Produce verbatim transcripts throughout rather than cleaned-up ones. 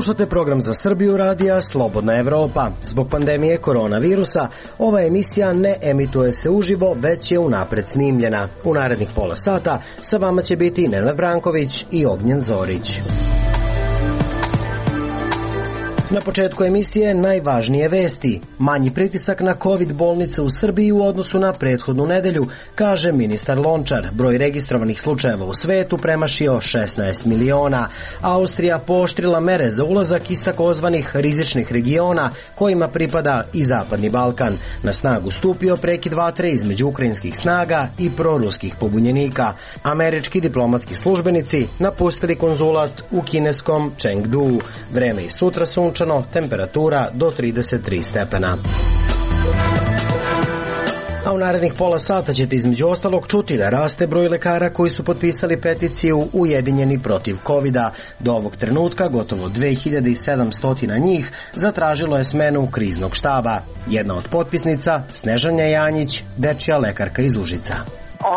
Slušate program za Srbiju radija Slobodna Evropa. Zbog pandemije koronavirusa, ova emisija ne emituje se uživo, već je unapred snimljena. U narednih pola sata sa vama će biti Nenad Branković i Ognjen Zorić. Na početku emisije najvažnije vesti. Manji pritisak na COVID bolnice u Srbiji u odnosu na prethodnu nedelju, kaže ministar Lončar. Broj registrovanih slučajeva u svetu premašio šesnaest miliona. Austrija pooštrila mere za ulazak iz takozvanih rizičnih regiona kojima pripada i Zapadni Balkan. Na snagu stupio prekid vatre između ukrajinskih snaga i proruskih pobunjenika. Američki diplomatski službenici napustili konzulat u kineskom Chengdu. Vreme i sutra sunčano, temperatura do trideset tri stepena. A u narednih pola sata ćete između ostalog čuti da raste broj lekara koji su potpisali peticiju Ujedinjeni protiv kovida. Do ovog trenutka gotovo dve hiljade sedamsto njih zatražilo je smenu kriznog štaba. Jedna od potpisnica, Snežana Janjić, dečija lekarka iz Užica.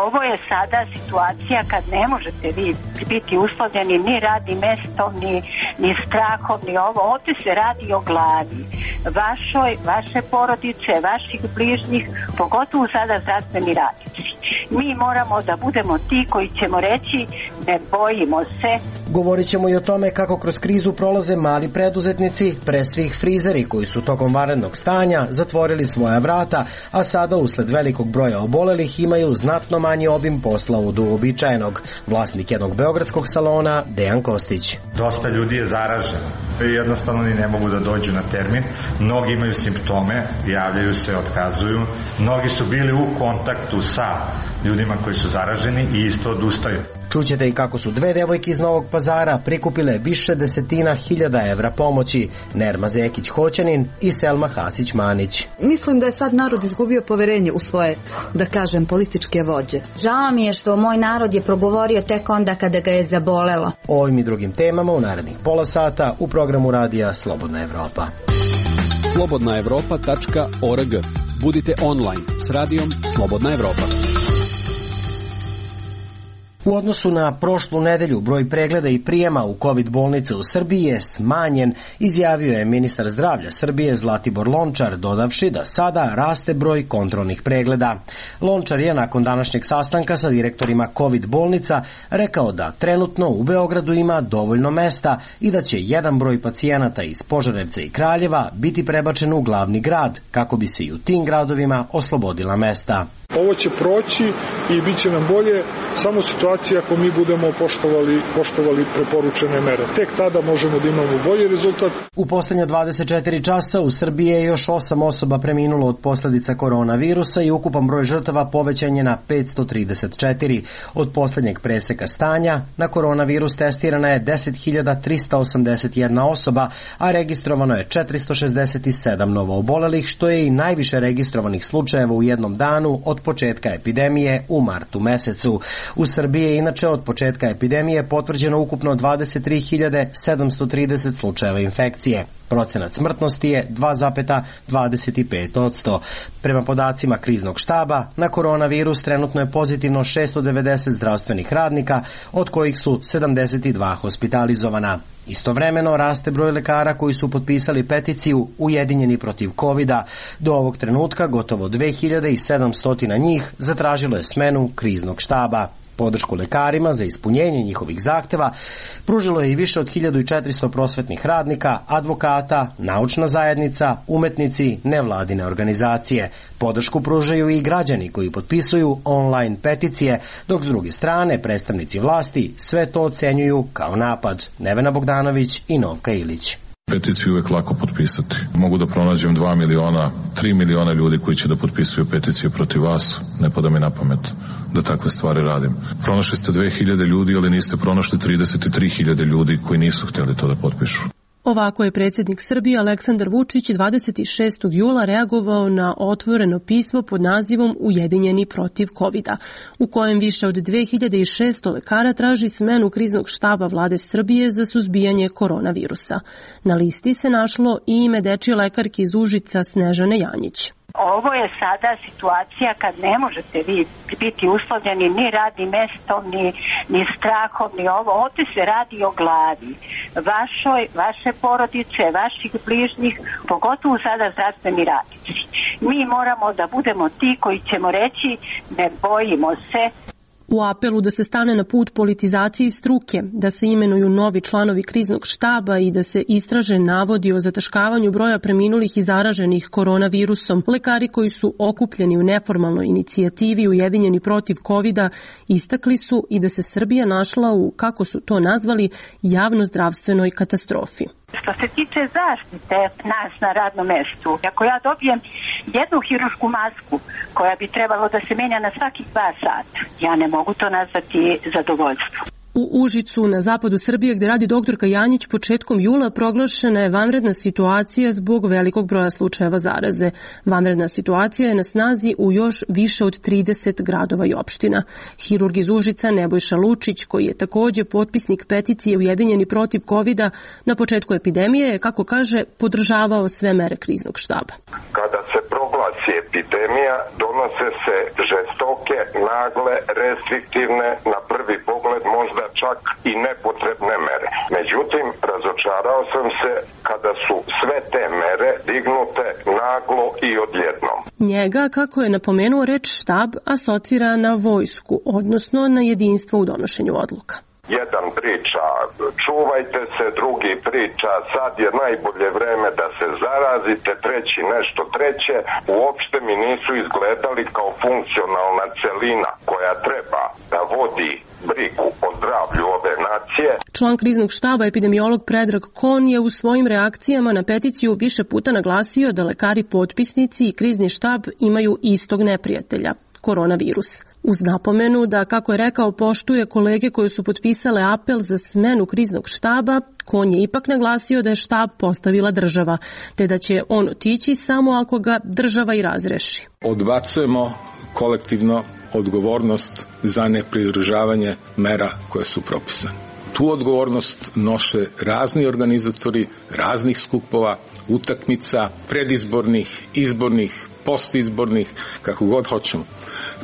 Ovo je sada situacija kad ne možete vi biti uslovljeni ni radnim mestom, ni, ni strahom, ni ovo. Ovdje se radi o glavi vašoj, vaše porodice, vaših bližnjih, pogotovo sada zdravstveni radnici. Mi moramo da budemo ti koji ćemo reći ne bojimo se. Govorit ćemo i o tome kako kroz krizu prolaze mali preduzetnici, pre svih frizeri koji su tokom vanrednog stanja zatvorili svoja vrata, a sada usled velikog broja obolelih imaju znatno manji obim posla od uobičajenog. Vlasnik jednog beogradskog salona, Dejan Kostić. Dosta ljudi je zaraženo i jednostavno ni ne mogu da dođu na termin. Mnogi imaju simptome, javljaju se, otkazuju. Mnogi su bili u kontaktu sa ljudima koji su zaraženi i isto odustaju. Čućete i kako su dve devojke iz Novog Pazara prikupile više desetina hiljada evra pomoći, Nerma Zekić-Hoćanin i Selma Hasić-Manić. Mislim da je sad narod izgubio poverenje u svoje, da kažem, političke vođe. Žao mi je što moj narod je progovorio tek onda kada ga je zabolelo. O ovim i drugim temama u narednih pola sata u programu radija Slobodna Evropa. slobodna evropa tačka org. Budite online s radijom Slobodna Evropa. U odnosu na prošlu nedelju broj pregleda i prijema u COVID bolnice u Srbiji je smanjen, izjavio je ministar zdravlja Srbije Zlatibor Lončar, dodavši da sada raste broj kontrolnih pregleda. Lončar je nakon današnjeg sastanka sa direktorima COVID bolnica rekao da trenutno u Beogradu ima dovoljno mesta i da će jedan broj pacijenata iz Požarevca i Kraljeva biti prebačen u glavni grad, kako bi se i u tim gradovima oslobodila mesta. Ovo će proći i bit će nam bolje samo situacija ako mi budemo poštovali, poštovali preporučene mere. Tek tada možemo da imamo bolji rezultat. U poslednja dvadeset četiri časa u Srbiji je još osam osoba preminulo od posledica koronavirusa i ukupan broj žrtava povećan je na petsto trideset četiri. Od poslednjeg preseka stanja na koronavirus testirana je deset hiljada trista osamdeset jedna osoba, a registrovano je četiristo šezdeset sedam novoobolelih, što je i najviše registrovanih slučajeva u jednom danu od početka epidemije u martu mesecu. U Srbiji je inače od početka epidemije potvrđeno ukupno dvadeset tri hiljade sedamsto trideset slučajeva infekcije. Procenat smrtnosti je dva zarez dvadeset pet posto. Prema podacima kriznog štaba, na koronavirus trenutno je pozitivno šesto devedeset zdravstvenih radnika, od kojih su sedamdeset dva hospitalizovana. Istovremeno raste broj lekara koji su potpisali peticiju Ujedinjeni protiv kovida. Do ovog trenutka gotovo dve hiljade sedamsto njih zatražilo je smenu kriznog štaba. Podršku lekarima za ispunjenje njihovih zahteva pružilo je i više od hiljadu četiristo prosvetnih radnika, advokata, naučna zajednica, umetnici, nevladine organizacije. Podršku pružaju i građani koji potpisuju online peticije, dok s druge strane predstavnici vlasti sve to ocenjuju kao napad. Nevena Bogdanović i Novka Ilić. Peticiju uvek lako potpisati. Mogu da pronađem dva miliona, tri miliona ljudi koji će da potpisuju peticiju protiv vas. Ne pada mi na pamet da takve stvari radim. Pronašli ste dve hiljade ljudi, ali niste pronašli trideset tri hiljade ljudi koji nisu htjeli to da potpišu. Ovako je predsjednik Srbije Aleksandar Vučić dvadeset šestog jula reagovao na otvoreno pismo pod nazivom Ujedinjeni protiv kovida, u kojem više od dve hiljade šesto lekara traži smenu kriznog štaba vlade Srbije za suzbijanje koronavirusa. Na listi se našlo i ime dečije lekarke iz Užica Snežane Janjić. Ovo je sada situacija kad ne možete vi biti uslovljeni ni radnim mestom, ni, ni strahom, ni ovo. Ovdje se radi o glavi vašoj, vaše vaše porodice, vaših bližnjih, pogotovo sada zdravstveni radnici. Mi moramo da budemo ti koji ćemo reći ne bojimo se. U apelu da se stane na put politizaciji struke, da se imenuju novi članovi kriznog štaba i da se istraže navodi o zataškavanju broja preminulih i zaraženih koronavirusom, lekari koji su okupljeni u neformalnoj inicijativi Ujedinjeni protiv kovida istakli su i da se Srbija našla u, kako su to nazvali, javnozdravstvenoj katastrofi. Što se tiče zaštite nas na radnom mestu, ako ja dobijem jednu hirušku masku koja bi trebalo da se menja na svakih dva sata, ja ne mogu to nazvati zadovoljstvo. U Užicu, na zapadu Srbije, gde radi doktorka Janjić, početkom jula proglašena je vanredna situacija zbog velikog broja slučajeva zaraze. Vanredna situacija je na snazi u još više od trideset gradova i opština. Hirurg iz Užica Nebojša Lučić, koji je takođe potpisnik peticije Ujedinjeni protiv kovida, na početku epidemije je, kako kaže, podržavao sve mere kriznog štaba. Kada se proglasi epidemija, donose se žestoke, nagle, restriktivne, na prvi pogled možda čak i nepotrebne mere. Međutim, razočarao sam se kada su sve te mere dignute naglo i odjednom. Njega, kako je napomenuo, reč štab asocira na vojsku, odnosno na jedinstvo u donošenju odluka. Jedan priča čuvajte se, drugi priča sad je najbolje vreme da se zarazite, treći nešto treće. Uopšte mi nisu izgledali kao funkcionalna celina koja treba da vodi brigu o zdravlju ove nacije. Član kriznog štaba, epidemiolog Predrag Kon, je u svojim reakcijama na peticiju više puta naglasio da lekari potpisnici i krizni štab imaju istog neprijatelja – koronavirus. Uz napomenu da, kako je rekao, poštuje kolege koje su potpisale apel za smenu kriznog štaba, Kon je ipak naglasio da je štab postavila država, te da će on otići samo ako ga država i razreši. Odbacujemo kolektivno odgovornost za nepridržavanje mera koje su propisane. Tu odgovornost noše razni organizatori raznih skupova, utakmica, predizbornih, izbornih, postizbornih, kako god hoćemo.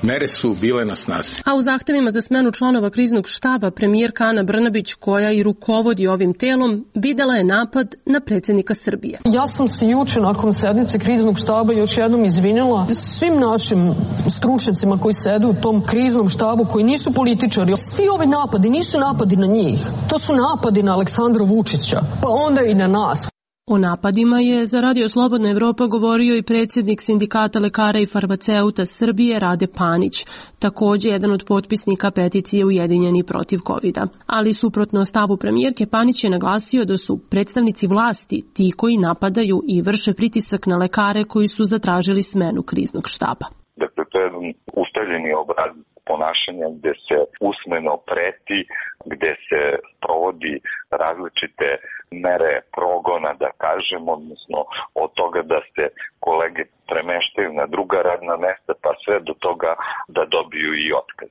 Mere su bile na snazi. A u zahtevima za smenu članova kriznog štaba premijerka Ana Brnabić, koja i rukovodi ovim telom, videla je napad na predsjednika Srbije. Ja sam se juče nakon sednice kriznog štaba još jednom izvinila svim našim stručnjacima koji sede u tom kriznom štabu, koji nisu političari. Svi ovi napadi nisu napadi na njih. To su napadi na Aleksandra Vučića, pa onda i na nas. O napadima je za Radio Slobodna Evropa govorio i predsjednik Sindikata lekara i farmaceuta Srbije Rade Panić, takođe jedan od potpisnika peticije Ujedinjeni protiv kovida. Ali suprotno stavu premijerke, Panić je naglasio da su predstavnici vlasti ti koji napadaju i vrše pritisak na lekare koji su zatražili smenu kriznog štaba. Dakle, to je jedan ustaljeni obraz ponašanja gde se usmeno preti, gde se provodi različite mere progona, da kažem, odnosno od toga da se kolege premeštaju na druga radna mesta, pa sve do toga da dobiju i otkaz.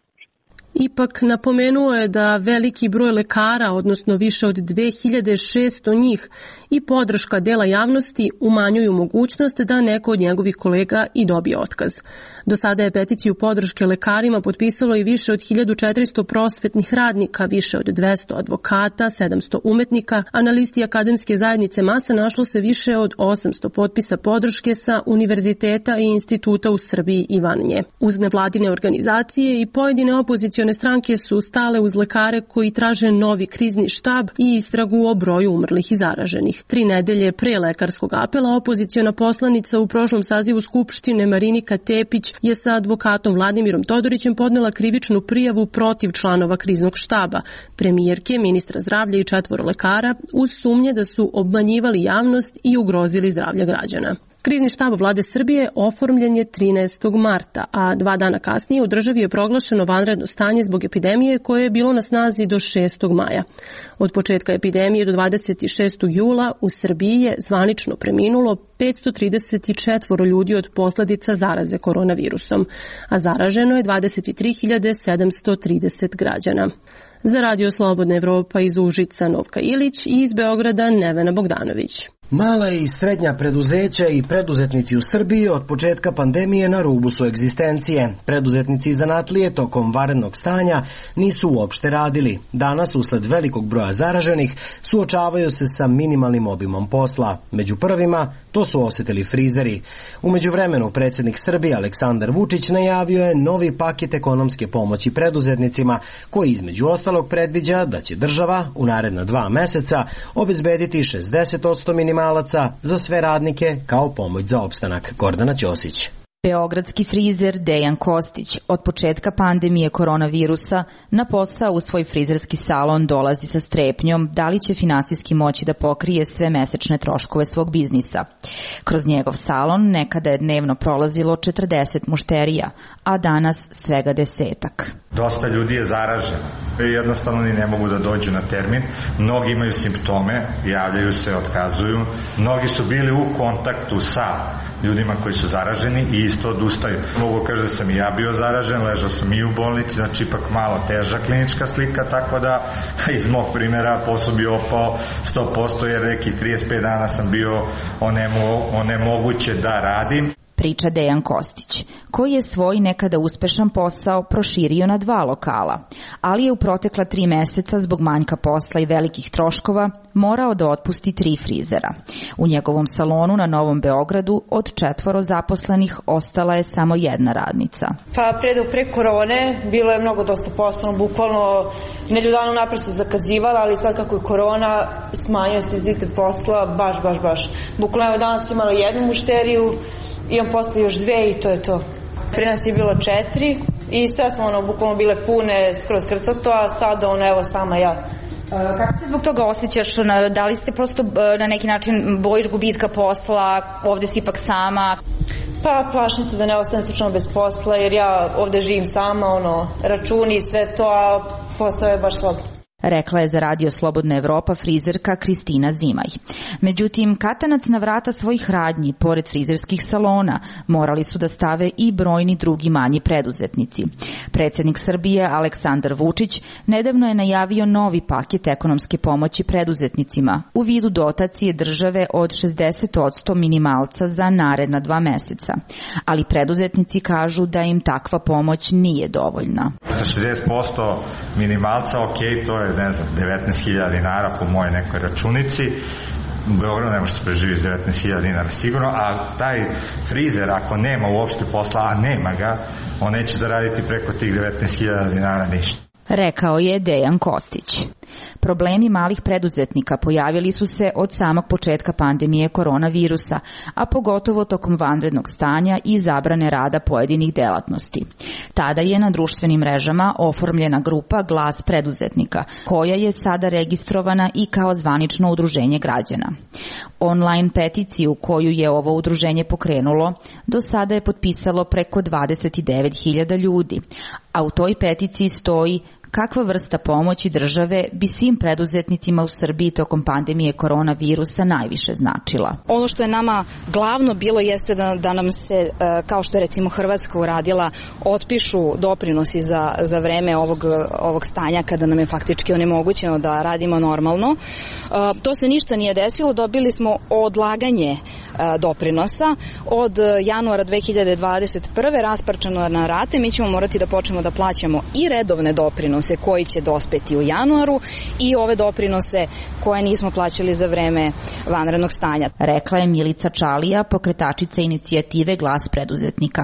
Ipak napomenuo je da veliki broj lekara, odnosno više od dve hiljade šesto njih, i podrška dela javnosti umanjuju mogućnost da neko od njegovih kolega i dobije otkaz. Do sada je peticiju podrške lekarima potpisalo i više od hiljadu četiristo prosvetnih radnika, više od dvesta advokata, sedamsto umetnika, a na listi akademske zajednice masa našlo se više od osamsto potpisa podrške sa univerziteta i instituta u Srbiji i van nje. Uz nevladine organizacije i pojedine opozicione stranke su stale uz lekare koji traže novi krizni štab i istragu o broju umrlih i zaraženih. Tri nedelje pre lekarskog apela opoziciona poslanica u prošlom sazivu Skupštine Marinika Tepić je sa advokatom Vladimirom Todorićem podnela krivičnu prijavu protiv članova kriznog štaba, premijerke, ministra zdravlja i četvoro lekara, uz sumnje da su obmanjivali javnost i ugrozili zdravlje građana. Krizni štab vlade Srbije oformljen je trinaestog marta, a dva dana kasnije u državi je proglašeno vanredno stanje zbog epidemije koje je bilo na snazi do šestog maja. Od početka epidemije do dvadeset šestog jula u Srbiji je zvanično preminulo petsto trideset četiri ljudi od posledica zaraze koronavirusom, a zaraženo je dvadeset tri hiljade sedamsto trideset građana. Za Radio Slobodna Evropa iz Užica Novka Ilić i iz Beograda Nevena Bogdanović. Mala i srednja preduzeća i preduzetnici u Srbiji od početka pandemije na rubu su egzistencije. Preduzetnici i zanatlije tokom vanrednog stanja nisu uopšte radili. Danas, usled velikog broja zaraženih, suočavaju se sa minimalnim obimom posla. Među prvima to su osetili frizeri. U međuvremenu predsjednik Srbije Aleksandar Vučić najavio je novi paket ekonomske pomoći preduzetnicima, koji između ostalog predviđa da će država u naredna dva meseca obezbediti šezdeset posto minimalaca za sve radnike kao pomoć za opstanak. Gordana Ćosić. Beogradski frizer Dejan Kostić od početka pandemije koronavirusa na posao u svoj frizerski salon dolazi sa strepnjom da li će finansijski moći da pokrije sve mesečne troškove svog biznisa. Kroz njegov salon nekada je dnevno prolazilo četrdeset mušterija, a danas svega desetak. Dosta ljudi je zaraženo. Jednostavno ni ne mogu da dođu na termin. Mnogi imaju simptome, javljaju se, otkazuju. Mnogi su bili u kontaktu sa ljudima koji su zaraženi i isto odustaju. Mogu kaže da sam i ja bio zaražen, ležao sam i u bolnici, znači ipak malo teža klinička slika, tako da iz mog primjera posao bi opao sto posto jer nekih trideset pet dana sam bio onemo, onemoguće da radim. Priča Dejan Kostić, koji je svoj nekada uspešan posao proširio na dva lokala, ali je u protekla tri meseca zbog manjka posla i velikih troškova morao da otpusti tri frizera. U njegovom salonu na Novom Beogradu od četvoro zaposlenih ostala je samo jedna radnica. Pa pre, pre korone bilo je mnogo dosta posla, bukvalno nedelju dana napred se zakazivala, ali sad kako je korona smanjio intenzitet posla, baš, baš, baš. Bukvalno evo danas imala jednu mušteriju, imam posle još dve i to je to. Pre nas je bilo četiri i sve smo ono bukvalno bile pune, skroz krcato, a sad ono evo sama ja. Kako se zbog toga osjećaš? Da li ste prosto na neki način bojiš gubitka posla, ovde si ipak sama? Pa plašim se da ne ostanem slučajno bez posla jer ja ovde živim sama, ono, računi i sve to, a posao je baš slab. Rekla je za Radio Slobodna Evropa frizerka Kristina Zimaj. Međutim, katanac na vrata svojih radnji, pored frizerskih salona, morali su da stave i brojni drugi manji preduzetnici. Predsjednik Srbije Aleksandar Vučić nedavno je najavio novi paket ekonomske pomoći preduzetnicima u vidu dotacije države od šezdeset posto minimalca za naredna dva meseca. Ali preduzetnici kažu da im takva pomoć nije dovoljna. Sa šezdeset posto minimalca, ok, to je ne znam, devetnaest hiljada dinara po moje nekoj računici. U Beogradu ne može se preživiti devetnaest hiljada dinara sigurno, a taj frizer ako nema uopšte posla, a nema ga, on neće zaraditi preko tih devetnaest hiljada dinara ništa. Rekao je Dejan Kostić. Problemi malih preduzetnika pojavili su se od samog početka pandemije koronavirusa, a pogotovo tokom vanrednog stanja i zabrane rada pojedinih delatnosti. Tada je na društvenim mrežama oformljena grupa Glas preduzetnika, koja je sada registrovana i kao zvanično udruženje građana. Online peticiju koju je ovo udruženje pokrenulo do sada je potpisalo preko dvadeset devet hiljada ljudi, a u toj peticiji stoji kakva vrsta pomoći države bi svim preduzetnicima u Srbiji tokom pandemije koronavirusa najviše značila. Ono što je nama glavno bilo jeste da, da nam se, kao što je recimo Hrvatska uradila, otpišu doprinosi za, za vreme ovog, ovog stanja kada nam je faktički onemogućeno da radimo normalno. To se ništa nije desilo, dobili smo odlaganje doprinosa od januara dve hiljade dvadeset prve rasparčano na rate. Mi ćemo morati da počnemo da plaćamo i redovne doprinose koji će dospeti u januaru i ove doprinose koje nismo plaćali za vreme vanrednog stanja. Rekla je Milica Čalija, pokretačica inicijative Glas preduzetnika.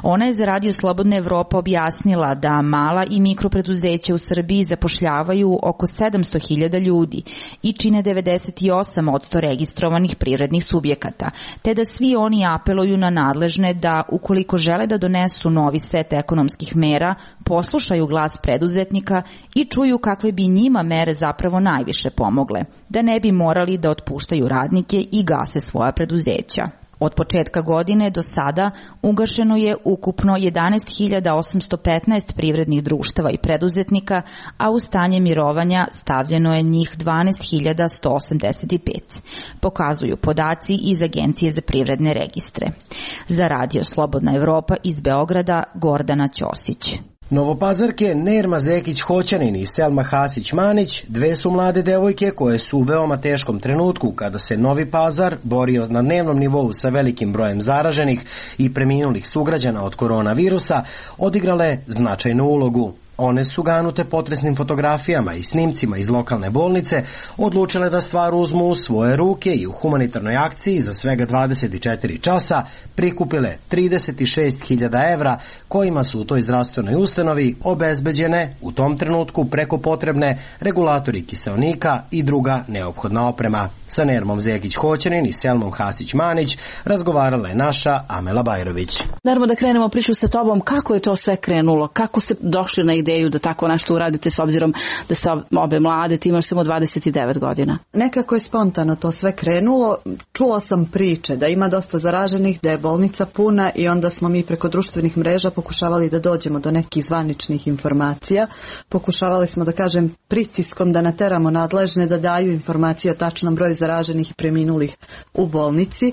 Ona je za Radio Slobodna Evropa objasnila da mala i mikropreduzeća u Srbiji zapošljavaju oko sedamsto hiljada ljudi i čine devedeset osam posto registrovanih privrednih subjekata, te da svi oni apeluju na nadležne da, ukoliko žele da donesu novi set ekonomskih mera, poslušaju glas preduzetnika i čuju kakve bi njima mere zapravo najviše pomogle, da ne bi morali da otpuštaju radnike i gase svoja preduzeća. Od početka godine do sada ugašeno je ukupno jedanaest hiljada osamsto petnaest privrednih društava i preduzetnika, a u stanje mirovanja stavljeno je njih dvanaest hiljada sto osamdeset pet. Pokazuju podaci iz Agencije za privredne registre. Za Radio Slobodna Evropa iz Beograda, Gordana Ćosić. Novopazarke Nerma Zekić-Hoćanin i Selma Hasić-Manić dve su mlade devojke koje su u veoma teškom trenutku kada se Novi Pazar borio na dnevnom nivou sa velikim brojem zaraženih i preminulih sugrađana od koronavirusa odigrale značajnu ulogu. One su ganute potresnim fotografijama i snimcima iz lokalne bolnice odlučile da stvar uzmu u svoje ruke i u humanitarnoj akciji za svega dvadeset četiri časa prikupile trideset šest hiljada evra kojima su u toj zdravstvenoj ustanovi obezbeđene u tom trenutku preko potrebne regulatori kiseonika i druga neophodna oprema. Sa Nermom Zekić-Hoćanin i Selmom Hasić-Manić razgovarala je naša Amela Bajrović. Nermo, da krenemo priču sa tobom, kako je to sve krenulo, kako ste došli na ideju da tako nešto uradite s obzirom da ste obe mlade, ti imaš samo dvadeset devet godina? Nekako je spontano to sve krenulo. Čula sam priče da ima dosta zaraženih, da je bolnica puna i onda smo mi preko društvenih mreža pokušavali da dođemo do nekih zvaničnih informacija. Pokušavali smo, da kažem, pritiskom da nateramo nadležne da daju informacije o tačnom broju zaraženih i preminulih u bolnici,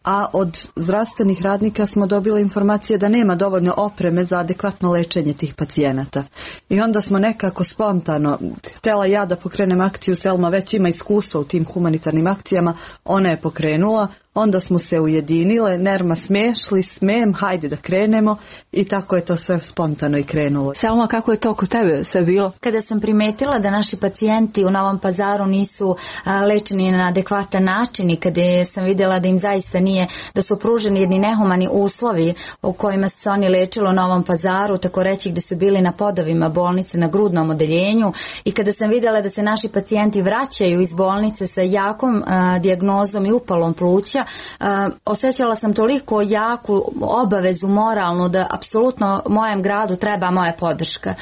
a od zdravstvenih radnika smo dobili informacije da nema dovoljno opreme za adekvatno lečenje tih pacijenata. I onda smo nekako spontano, htjela ja da pokrenem akciju, Selma već ima iskustva u tim humanitarnim akcijama, ona je pokrenula, onda smo se ujedinile, Nerma smešli, smem, hajde da krenemo i tako je to sve spontano i krenulo. Selma, kako je to kod tebe sve bilo? Kada sam primetila da naši pacijenti u Novom Pazaru nisu a, lečeni na adekvatan način i kada sam vidjela da im zaista nije, da su pruženi jedni nehumani uslovi u kojima se oni lečili u Novom Pazaru, tako reći gde su bili na podovima bolnice na grudnom odeljenju, i kada sam vidjela da se naši pacijenti vraćaju iz bolnice sa jakom a, dijagnozom i upalom pluća, Uh, osjećala sam toliko jaku obavezu moralnu da apsolutno mojem gradu treba moja podrška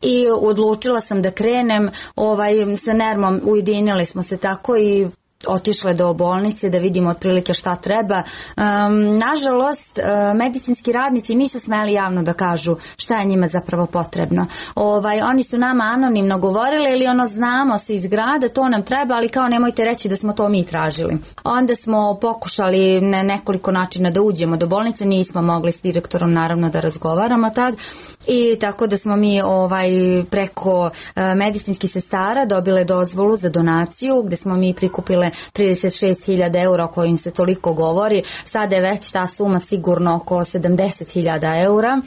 i odlučila sam da krenem. Ovaj, sa Nermom ujedinili smo se tako i otišle do bolnice da vidimo otprilike šta treba. Um, nažalost, uh, medicinski radnici nisu smeli javno da kažu šta je njima zapravo potrebno. Ovaj, oni su nama anonimno govorili ili ono znamo se iz grada, to nam treba, ali kao nemojte reći da smo to mi tražili. Onda smo pokušali na nekoliko načina da uđemo do bolnice, nismo mogli s direktorom naravno da razgovaramo tad i tako da smo mi ovaj, preko uh, medicinskih sestara dobile dozvolu za donaciju gde smo mi prikupile trideset šest hiljada eura o kojim se toliko govori. Sada je već ta suma sigurno oko sedamdeset hiljada eura,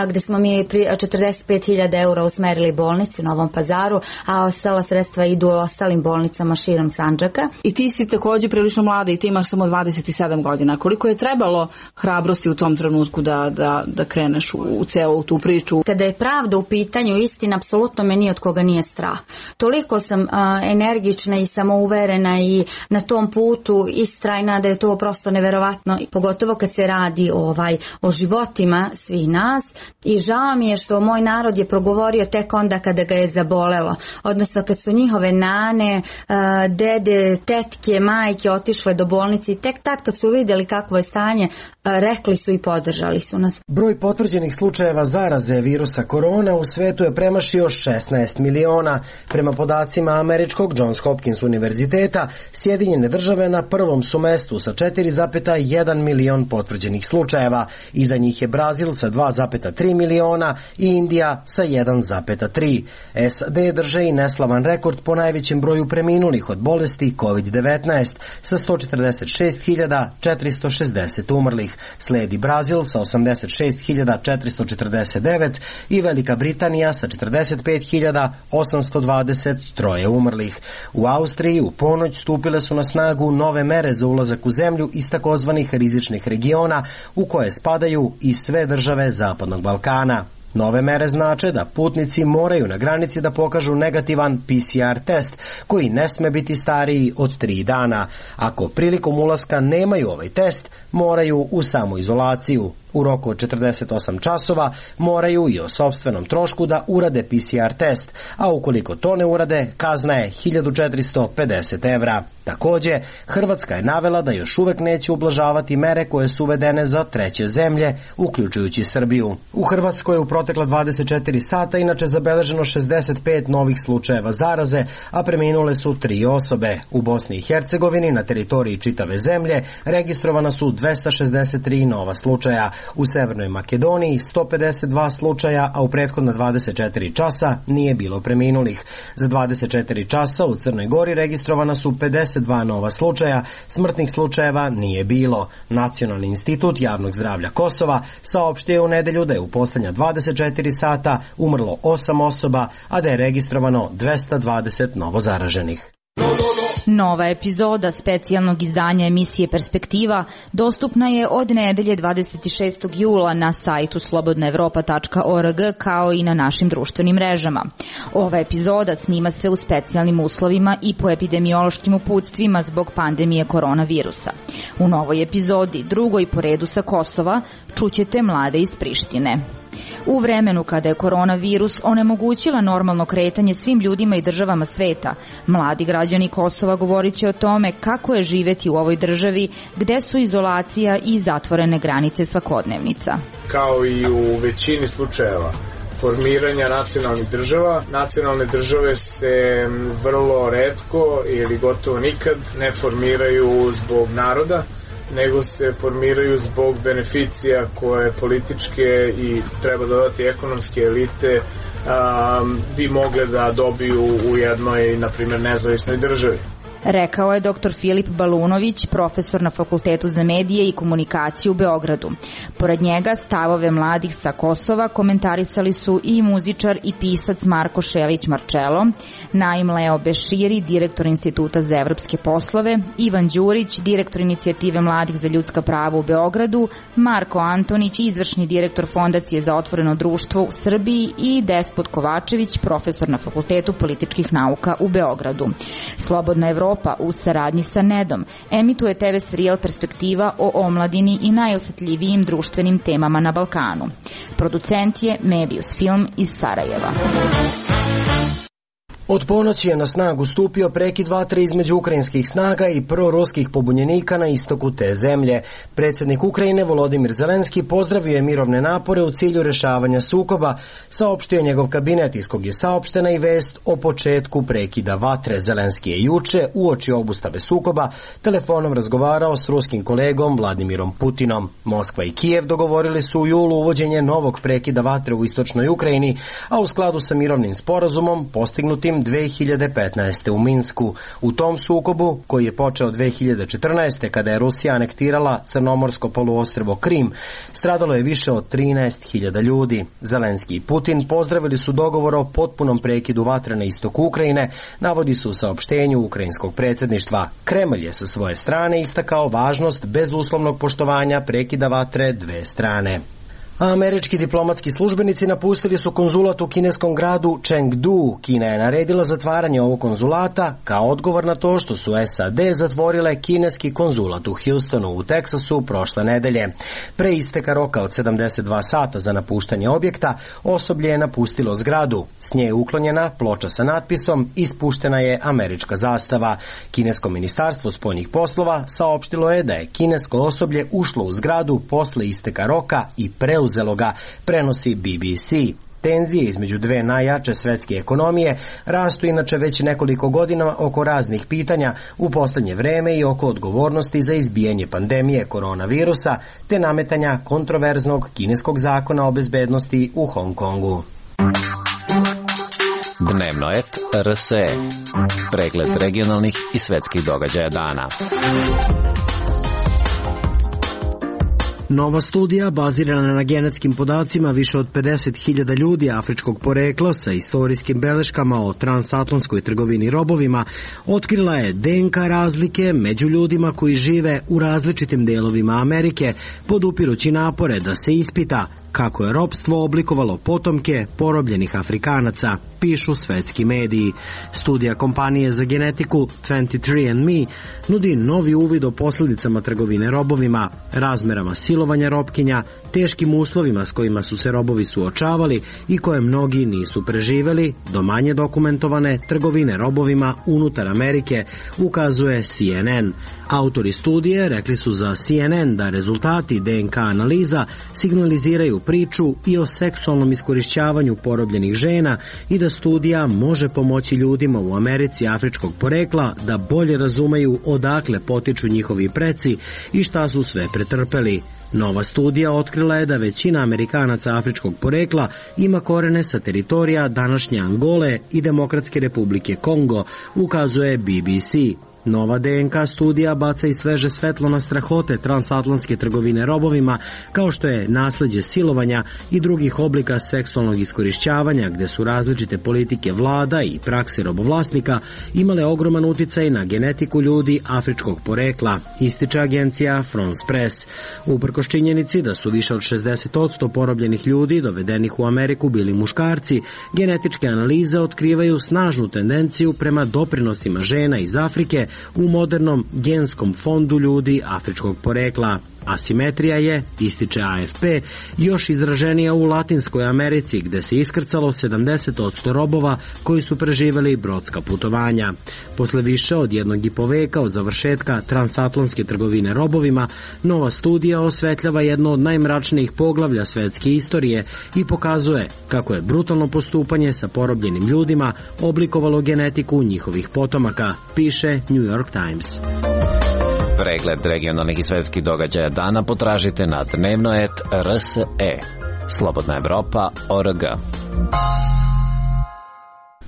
gde smo mi četrdeset pet hiljada eura usmerili bolnicu u Novom Pazaru, a ostala sredstva idu ostalim bolnicama širom Sandžaka. I ti si takođe prilično mlada i ti imaš samo dvadeset sedam godina. Koliko je trebalo hrabrosti u tom trenutku da, da, da kreneš u, u celu tu priču? Kada je pravda u pitanju, istina, apsolutno me ni od koga nije strah. Toliko sam uh, energična i samouverena i na tom putu istrajna da je to prosto neverovatno, pogotovo kad se radi ovaj, o životima svih nas, i žao mi je što moj narod je progovorio tek onda kada ga je zabolelo, odnosno kad su njihove nane, dede, tetke, majke otišle do bolnice i tek tad kad su vidjeli kakvo je stanje, rekli su i podržali su nas. Broj potvrđenih slučajeva zaraze virusa korona u svetu je premašio šesnaest miliona. Prema podacima američkog Johns Hopkins univerziteta, Sjedinjene države na prvom su mestu sa četiri zarez jedan milion potvrđenih slučajeva. Iza njih je Brazil sa dva zarez tri miliona i Indija sa jedan zarez tri. S A D drže i neslavan rekord po najvećem broju preminulih od bolesti kovid devetnaest sa sto četrdeset šest hiljada četiristo šezdeset umrlih. Sledi Brazil sa osamdeset šest hiljada četiristo četrdeset devet i Velika Britanija sa četrdeset pet hiljada osamsto dvadeset tri umrlih. U Austriji u ponoć stupile su na snagu nove mere za ulazak u zemlju iz takozvanih rizičnih regiona u koje spadaju i sve države Zapadnog Balkana. Nove mere znače da putnici moraju na granici da pokažu negativan P C R test koji ne sme biti stariji od tri dana. Ako prilikom ulaska nemaju ovaj test, moraju u samoizolaciju. U roku od četrdeset osam časova moraju i o sopstvenom trošku da urade P C R test, a ukoliko to ne urade, kazna je hiljadu četiristo pedeset evra. Takođe, Hrvatska je navela da još uvek neće ublažavati mere koje su uvedene za treće zemlje, uključujući Srbiju. U Hrvatskoj je u protekla dvadeset četiri sata inače zabeleženo šezdeset pet novih slučajeva zaraze, a preminule su tri osobe. U Bosni i Hercegovini, na teritoriji čitave zemlje, registrovana su dvesta šezdeset tri nova slučaja. U Severnoj Makedoniji sto pedeset dva slučaja, a u prethodna dvadeset četiri časa nije bilo preminulih. Za dvadeset četiri časa u Crnoj Gori registrovana su pedeset dva nova slučaja, smrtnih slučajeva nije bilo. Nacionalni institut javnog zdravlja Kosova saopštio je u nedelju da je u poslednja dvadeset četiri sata umrlo osam osoba, a da je registrovano dvesta dvadeset novozaraženih. Nova epizoda specijalnog izdanja emisije Perspektiva dostupna je od nedelje dvadeset šestog jula na sajtu slobodna evropa tačka org kao i na našim društvenim mrežama. Ova epizoda snima se u specijalnim uslovima i po epidemiološkim uputstvima zbog pandemije koronavirusa. U novoj epizodi, drugoj po redu sa Kosova, čućete mlade iz Prištine. U vremenu kada je koronavirus onemogućila normalno kretanje svim ljudima i državama sveta, mladi građani Kosova govorit će o tome kako je živeti u ovoj državi gde su izolacija i zatvorene granice svakodnevnica. Kao i u većini slučajeva formiranja nacionalnih država, nacionalne države se vrlo retko ili gotovo nikad ne formiraju zbog naroda, nego se formiraju zbog beneficija koje političke i treba dodati ekonomske elite um, bi mogle da dobiju u jednoj, na primjer, nezavisnoj državi. Rekao je doktor Filip Balunović, profesor na Fakultetu za medije i komunikaciju u Beogradu. Pored njega stavove mladih sa Kosova komentarisali su i muzičar i pisac Marko Šelić-Marčelo, Naim Leo Beširi, direktor Instituta za evropske poslove, Ivan Đurić, direktor Inicijative mladih za ljudska prava u Beogradu, Marko Antonić, izvršni direktor Fondacije za otvoreno društvo u Srbiji i Despot Kovačević, profesor na Fakultetu političkih nauka u Beogradu. Slobodna Evropa u saradnji sa Nedom emituje te ve serijal Perspektiva o omladini i najosetljivijim društvenim temama na Balkanu. Producent je Mebius Film iz Sarajeva. Od ponoći je na snagu stupio prekid vatre između ukrajinskih snaga i proruskih pobunjenika na istoku te zemlje. Predsjednik Ukrajine Volodimir Zelenski pozdravio je mirovne napore u cilju rešavanja sukoba, saopštio je njegov kabinet iz kog je saopštena i vest o početku prekida vatre. Zelenski je juče, uoči obustave sukoba, telefonom razgovarao s ruskim kolegom Vladimirom Putinom. Moskva i Kijev dogovorili su u julu uvođenje novog prekida vatre u istočnoj Ukrajini, a u skladu sa mirovnim sporazumom postignutim dve hiljade petnaeste. u Minsku. U tom sukobu, koji je počeo dve hiljade četrnaeste. kada je Rusija anektirala crnomorsko poluostrvo Krim, stradalo je više od trinaest hiljada ljudi. Zelenski i Putin pozdravili su dogovor o potpunom prekidu vatre na istoku Ukrajine, navodi se u saopštenju ukrajinskog predsjedništva. Kremlj je sa svoje strane istakao važnost bezuslovnog poštovanja prekida vatre dve strane. A američki diplomatski službenici napustili su konzulat u kineskom gradu Chengdu. Kina je naredila zatvaranje ovog konzulata kao odgovor na to što su es a de zatvorile kineski konzulat u Houstonu u Teksasu prošle nedelje. Pre isteka roka od sedamdeset dva sata za napuštanje objekta, osoblje je napustilo zgradu. S nje je uklonjena ploča sa natpisom "Ispuštena je američka zastava". Kinesko ministarstvo spoljnih poslova saopštilo je da je kinesko osoblje ušlo u zgradu posle isteka roka i preuzelo uzelo ga, prenosi be be ce. Tenzije između dve najjače svetske ekonomije rastu inače već nekoliko godina oko raznih pitanja u poslednje vreme i oko odgovornosti za izbijanje pandemije koronavirusa te nametanja kontroverznog kineskog zakona o bezbednosti u Hong Kongu. Dnevno et er es e. Pregled regionalnih i svetskih događaja dana. Nova studija, bazirana na genetskim podacima više od pedeset hiljada ljudi afričkog porekla sa istorijskim beleškama o transatlantskoj trgovini robovima, otkrila je de en ka razlike među ljudima koji žive u različitim delovima Amerike, podupirući napore da se ispita kako je ropstvo oblikovalo potomke porobljenih Afrikanaca, pišu svetski mediji. Studija kompanije za genetiku dvadeset tri and me nudi novi uvid o posljedicama trgovine robovima, razmerama silovanja robkinja, teškim uslovima s kojima su se robovi suočavali i koje mnogi nisu preživeli, do manje dokumentovane trgovine robovima unutar Amerike, ukazuje C N N. Autori studije rekli su za C N N da rezultati de en ka analiza signaliziraju priču i o seksualnom iskorišćavanju porobljenih žena i da studija može pomoći ljudima u Americi afričkog porekla da bolje razumeju odakle potiču njihovi preci i šta su sve pretrpeli. Nova studija otkrila je da većina Amerikanaca afričkog porekla ima korene sa teritorija današnje Angole i Demokratske republike Kongo, ukazuje B B C. Nova D N K studija baca i sveže svetlo na strahote transatlantske trgovine robovima, kao što je nasleđe silovanja i drugih oblika seksualnog iskorišćavanja, gde su različite politike vlada i prakse robovlasnika imale ogroman uticaj na genetiku ljudi afričkog porekla, ističe agencija France Press. Uprkos činjenici da su više od šezdeset posto porobljenih ljudi dovedenih u Ameriku bili muškarci, genetičke analize otkrivaju snažnu tendenciju prema doprinosima žena iz Afrike u modernom genskom fondu ljudi afričkog porekla. Asimetrija je, ističe A F P, još izraženija u Latinskoj Americi, gde se iskrcalo sedamdeset posto robova koji su preživeli brodska putovanja. Posle više od jednog i po veka od završetka transatlantske trgovine robovima, nova studija osvetljava jedno od najmračnijih poglavlja svetske istorije i pokazuje kako je brutalno postupanje sa porobljenim ljudima oblikovalo genetiku njihovih potomaka, piše New York Times. Pregled regionalnih i svetskih događaja dana potražite na dnevnoet R S E. Slobodna Evropa O R G.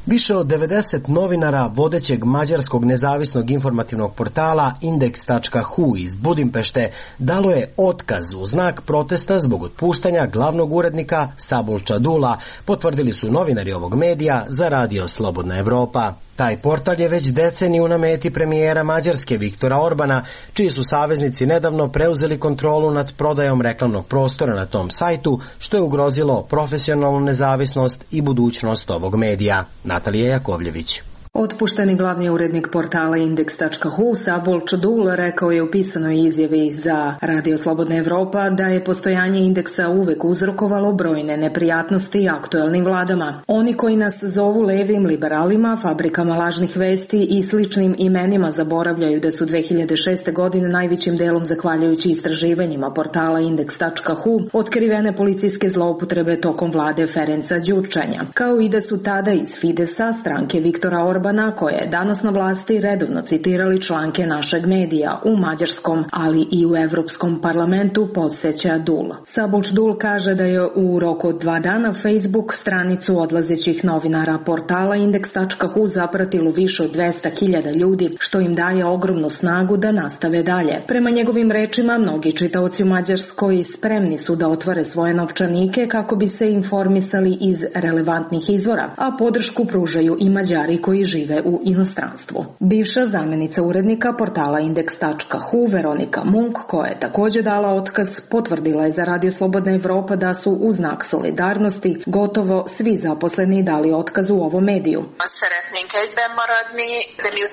Više od devedeset novinara vodećeg mađarskog nezavisnog informativnog portala Indeks tačka H U iz Budimpešte dalo je otkaz u znak protesta zbog otpuštanja glavnog urednika Szabolcsa Dula, potvrdili su novinari ovog medija za radio Slobodna Evropa. Taj portal je već deceniju na meti premijera Mađarske Viktora Orbana, čiji su saveznici nedavno preuzeli kontrolu nad prodajom reklamnog prostora na tom sajtu, što je ugrozilo profesionalnu nezavisnost i budućnost ovog medija. Natalija Jakovljević. Otpušteni glavni urednik portala Indeks tačka H U Szabolcsa Dula rekao je u pisanoj izjavi za Radio Slobodna Evropa da je postojanje indeksa uvek uzrokovalo brojne neprijatnosti aktuelnim vladama. Oni koji nas zovu levim liberalima, fabrikama lažnih vesti i sličnim imenima zaboravljaju da su dve hiljade šeste. godine najvećim delom zahvaljujući istraživanjima portala Indeks tačka H U otkrivene policijske zloupotrebe tokom vlade Ferenca Đurčanja, kao i da su tada iz Fidesa, stranke Viktora Orbana, koja je danas na vlasti, redovno citirali članke našeg medija u mađarskom, ali i u Evropskom parlamentu, podsjeća Dul. Szabolcs Dul kaže da je u roku od dva dana Facebook stranicu odlazećih novinara portala Indeks tačka H U zapratilo više od dvesta hiljada ljudi, što im daje ogromnu snagu da nastave dalje. Prema njegovim rečima, mnogi čitaoci u Mađarskoj spremni su da otvore svoje novčanike kako bi se informisali iz relevantnih izvora, a podršku pružaju i Mađari koji žive u inostranstvu. Bivša zamjenica urednika portala Indeks tačka H U Veronika Munk, koja je također dala otkaz, potvrdila je za Radio Slobodna Evropa da su u znak solidarnosti gotovo svi zaposleni dali otkaz u ovom mediju.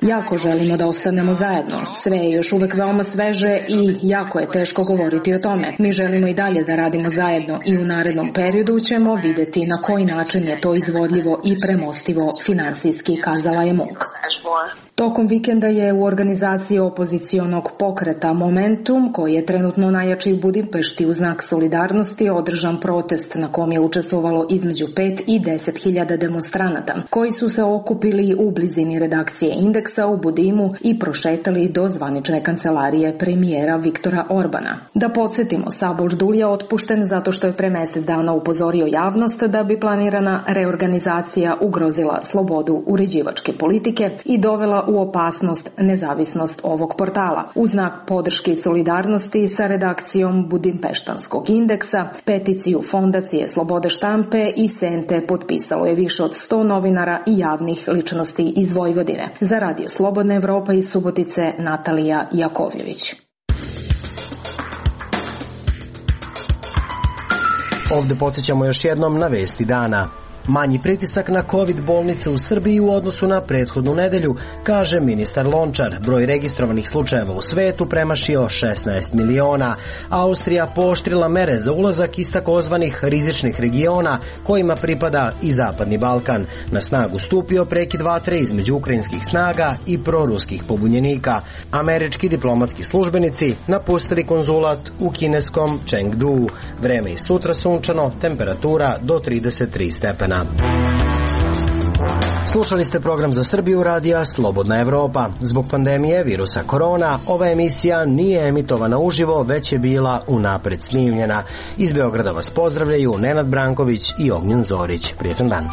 Jako želimo da ostanemo zajedno. Sve je još uvek veoma sveže i jako je teško govoriti o tome. Mi želimo i dalje da radimo zajedno i u narednom periodu ćemo videti na koji način je to izvodljivo i premostivo finansijski, kazala je Munk. Tokom vikenda je u organizaciji opozicionog pokreta Momentum, koji je trenutno najjači u Budimpešti u znak solidarnosti, održan protest na kom je učestvovalo između pet i deset hiljada demonstranata, koji su se okupili u blizini redakcije Indeksa u Budimu i prošetali do zvanične kancelarije premijera Viktora Orbana. Da podsjetimo, Szabolcs Dul je otpušten zato što je pre mesec dana upozorio javnost da bi planirana reorganizacija ugrozila slobodu uređivačke politike i dovela u opasnost nezavisnost ovog portala. U znak podrške i solidarnosti sa redakcijom Budimpeštanskog Indeksa, peticiju Fondacije Slobode štampe i Sente potpisalo je više od sto novinara i javnih ličnosti iz Vojvodine. Za Radio Slobodna Evropa iz Subotice, Natalija Jakovljević. Ovde podsjećamo još jednom na vesti dana. Manji pritisak na COVID bolnice u Srbiji u odnosu na prethodnu nedelju, kaže ministar Lončar. Broj registrovanih slučajeva u svetu premašio šesnaest miliona. Austrija pooštrila mere za ulazak iz takozvanih rizičnih regiona kojima pripada i Zapadni Balkan. Na snagu stupio prekid vatre između ukrajinskih snaga i proruskih pobunjenika. Američki diplomatski službenici napustili konzulat u kineskom Chengdu. Vreme i sutra sunčano, temperatura do trideset tri stepena. Slušali ste program za Srbiju radija Slobodna Evropa. Zbog pandemije virusa korona, ova emisija nije emitovana uživo, već je bila unapred snimljena. Iz Beograda vas pozdravljaju Nenad Branković i Ognjen Zorić. Prijetan dan.